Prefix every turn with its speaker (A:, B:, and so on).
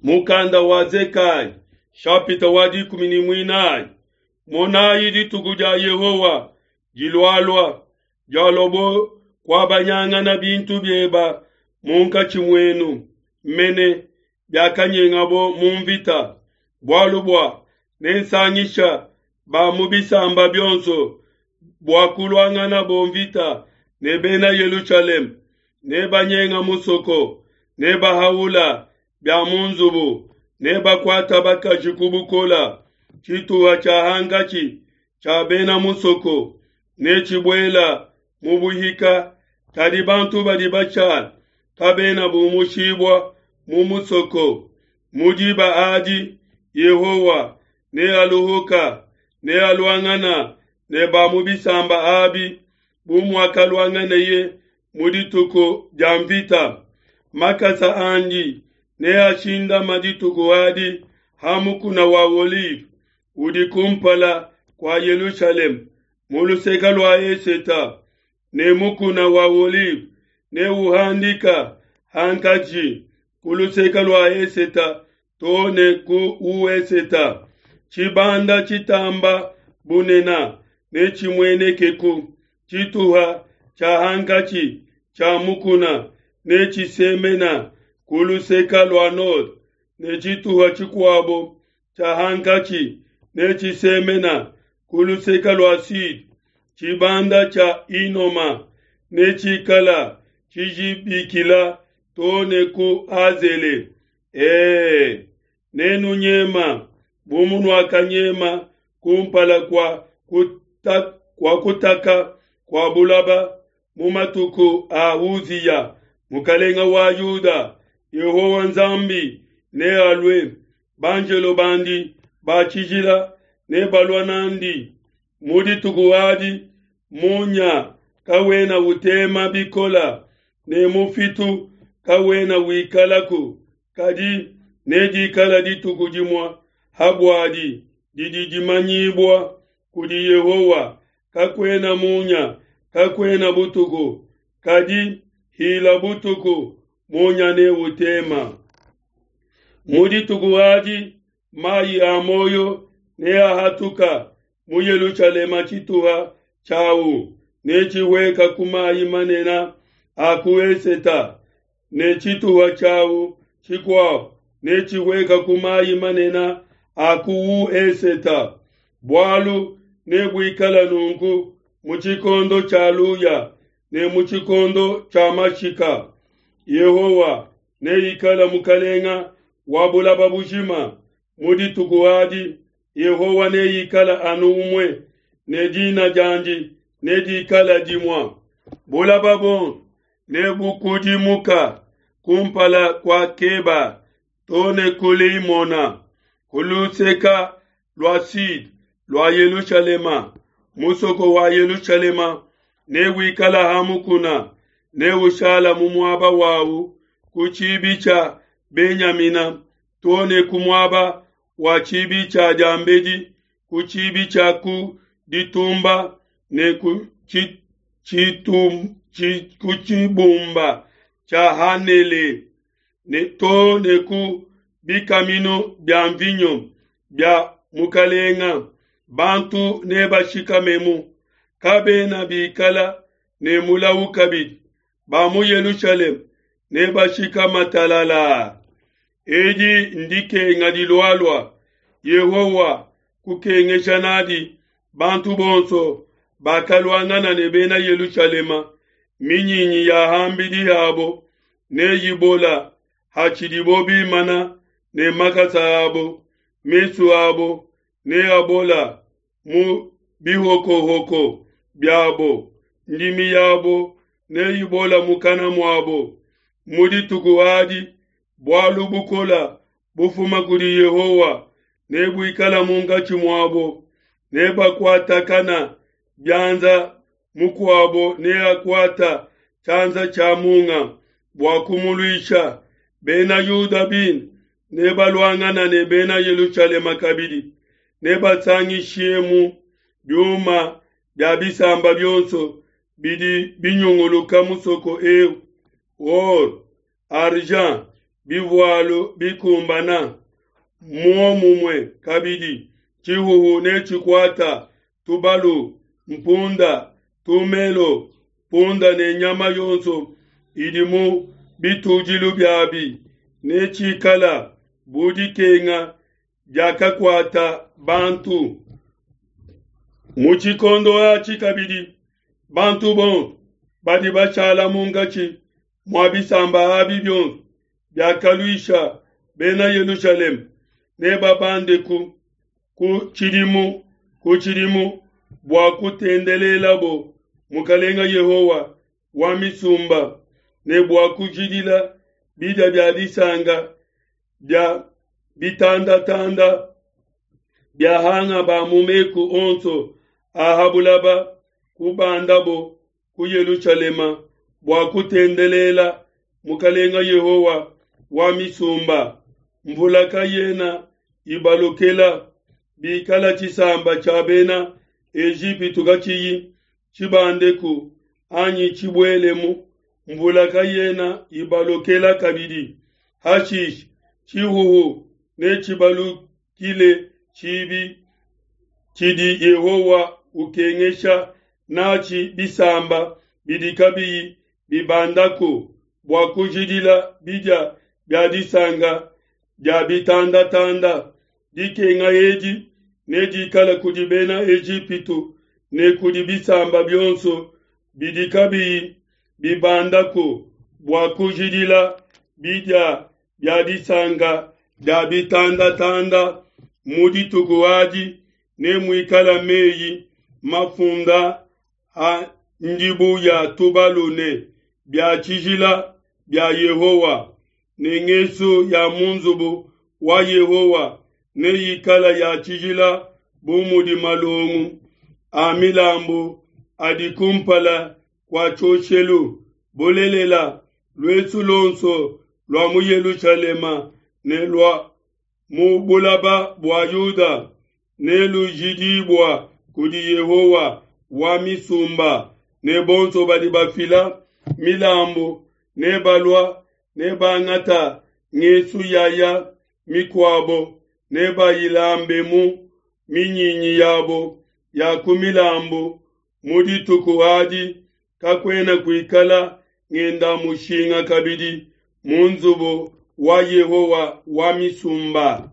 A: Mukanda wa Zekaya, shapita wa dikumi ne muinayi. Monayi dituku dia Yehowa dilualua, dialobo kuabanyangana bintu bieba munkatshi muenu, mene biakanyengabo mu mvita. Bualu bua nensangisha ba mu bisamba bionso bua kuluanganabo mvita ne bena Yelushalema, nebanyenga musoko, nebahaula bia mu nzubu, nebakuata bakaji ku bukola. Tshituha tshia hankatshi tshia bena musoko netshibuela mu buhika, kadi bantu badi bashala kabena bumushibua mu musoko. Mu diba adi Yehowa nealuhuka, nealuangana ne ba mu bisamba abi bu muakaluanganeye mu dituku dia mvita. Makasa andi neashindama dituku adi ha mukuna wa Olive udi kumpala kua Yelushalema mu luseke lua eseta, ne mukuna wa Olive neuhandika hankatshi ku luseke lua eseta too ne ku ueseta. Tshibanda tshitamba bunena netshimuenekeku, tshituha tshia hankatshi tshia mukuna netshisemena ku luseke lua node, ne tshituha tshikuabo tshia hankatshi netshisemena ku luseke lua sude. Tshibanda tshia Hinoma netshikala tshijibikila too ne ku Azele. E, nenunyema bu munuakanyema kumpala kua kuta, kua kutaka kua bulaba mu matuku a Uziya mukalenga wa Yuda. Yehowa Nzambi nealue, banjelo bandi ba tshijila nebalua nandi. Mu dituku adi munya kawena utema bikola ne mufitu kawena wikalaku, kadi nedikala dituku dimue ha buadi didi dimanyibua kudi Yehowa. Kakuena munya, kakuena butuku, kadi hila butuku munya neutema. Mu dituku adi mayi a muoyo neahatuka mu Yelushalema, tshituha tshiawu netshihueka ku mayi manene a ku eseta, ne tshituha tshiawu tshikuabo netshihueka ku mayi manene a ku ueseta. Bualu nebuikala nunku mu tshikondo tshia luya ne mu tshikondo tshia mashika. Yehowa neikala mukalenga wa bulaba bujima. Mu dituku adi Yehowa neikala anu umue, ne dina diandi nedikala dimue. Bulaba buonso nebukudimuka kumpala kua Keba too ne ku Limona, ku luseka lua sude lua Yelushalema. Musoko wa Yelushalema newikala ha mukuna, neushala mu muaba wawu ku tshibi tshia Benyamina too ne ku muaba wa tshibi tshia diambedi, ku tshibi tshia ku ditumba ne ku ku tshibumba tshia Hanele, ne too ne ku bikaminu bia mvinyo bia mukalenga. Bantu nebashikamemu, kabena bikala ne mulawu kabidi. Ba mu Yelushalema nebashikama talalaa. Edi ndikenga dilualua Yehowa kukengesha nadi bantu bonso bakaluangana ne bena Yelushalema. Minyinyi ya hambidi yabo neyibola hatshidibo bimana ne makasa abo, mesu abo neabola mu bihokohoko biabo, ndimi yabo neyibola mukana muabo. Mu dituku adi bualu bukola bufuma kudi Yehowa nebuikala munkatshi muabo, nebakuatakana bianza, mukuabo neakuata tshianza tshia munga bua kumuluisha. Bena Yuda bine nebaluangana ne bena Yelushalema kabidi, nebasangishemu biuma bia bisamba bionso bidi binyunguluka musoko eu, or, argent, bivualu bikumbana. Muomumue kabidi, tshihuhu netshikuata tubalu, mpunda, tumelo, punda ne nyama yonso idi mu bitudilu biabi, netshikala bu dikenga diakakuata bantu. Mu tshikondo atshi kabidi, bantu bonso badi bashala munkatshi mua bisamba abi bionso biakaluisha bena Yelushalema nebabandeku ku tshidimu ku tshidimu bua kutendelelabo Mukalenga Yehowa wa misumba ne bua kujidila bidia bia disanka bia bitandatanda bia hanga ba mu meku onso a ha bulaba kubandabo ku Yelushalema bua kutendelela Mukalenga Yehowa wa misumba. Mvula kayena ibalokela bikala tshisamba tshia bena Ejipitu katshiyi tshibandeku anyi tshibuelemu, mvula kayena ibalokela kabidi. Hashishe tshihuhu netshibalukile tshibi tshidi Yehowa ukengesha natshi bisamba bidi kabiyi bibandaku bua kujidila bidia bia disanka dia bitandatanda. Dikenga edi nedikale kudi bena Ejipitu ne kudi bisamba bionso bidi kabiyi bibandaku bua kujidila bidia bia disanka dia bitandatanda. Mu dituku adi nemuikale meyi mafunda a ndibu ya tubalu ne bia tshijila bia Yehowa, ne ngesu ya mu nzubu wa Yehowa neyikala ya tshijila bu mudi malongo a milambu adi kumpala kua tshioshelu. Bulelela, luesu luonso lua mu Yelushalema ne lua mu bulaba bua Yuda nelujidibua kudi Yehowa wa misumba, ne bonso badi bafila milambu nebalua nebangata ngesu yaya mikuabo nebayilambemu minyinyi yabo ya ku milambu. Mu dituku adi kakuena kuikala ngenda mushinga kabidi mu nzubu wa Yehowa wa misumba.